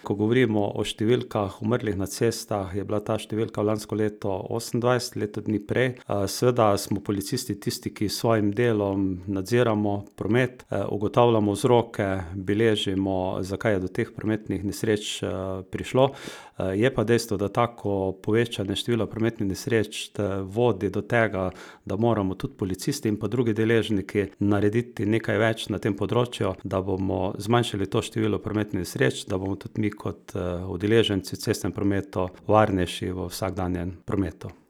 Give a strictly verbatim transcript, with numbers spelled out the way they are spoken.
Ko govorimo o številkah umrlih na cestah, je bila ta številka lansko leto osemindvajset, leto dni prej. Seveda smo policisti tisti, ki s svojim delom nadziramo promet, ugotavljamo vzroke, beležimo, zakaj je do teh prometnih nesreč, prišlo. Je pa dejstvo, da tako povečanje števila prometnih nesreč, vodi do tega, da moramo tudi policisti in pa drugi deležniki narediti nekaj več na tem področju, da bomo zmanjšali to število prometnih nesreč, da bomo tudi mi kot, udeleženci v cestnem prometu varnejši v vsakdanjem prometu.